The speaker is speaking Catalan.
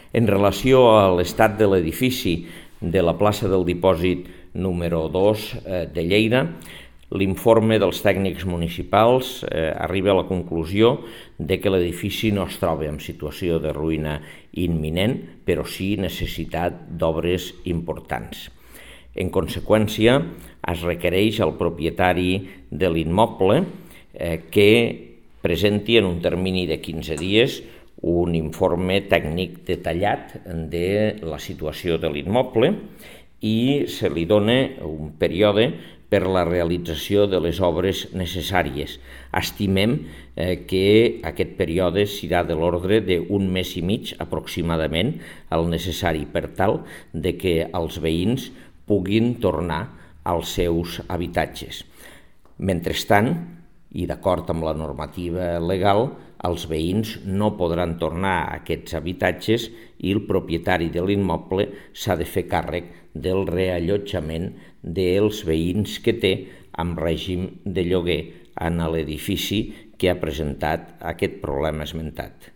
En relació a l'estat de l'edifici de la plaça del Dipòsit número 2 de Lleida, l'informe dels tècnics municipals arriba a la conclusió de que l'edifici no es troba en situació de ruïna imminent, però sí necessitat d'obres importants. En conseqüència, es requereix al propietari de l'immoble que presenti en un termini de 15 dies un informe tècnic detallat de la situació de l'immoble i se li dona un període per la realització de les obres necessàries. Estimem que aquest període serà de l'ordre d'un mes i mig aproximadament, el necessari per tal de que els veïns puguin tornar als seus habitatges. Mentrestant, i d'acord amb la normativa legal, els veïns no podran tornar a aquests habitatges i el propietari de l'immoble s'ha de fer càrrec del reallotjament dels veïns que té amb règim de lloguer en l'edifici que ha presentat aquest problema esmentat.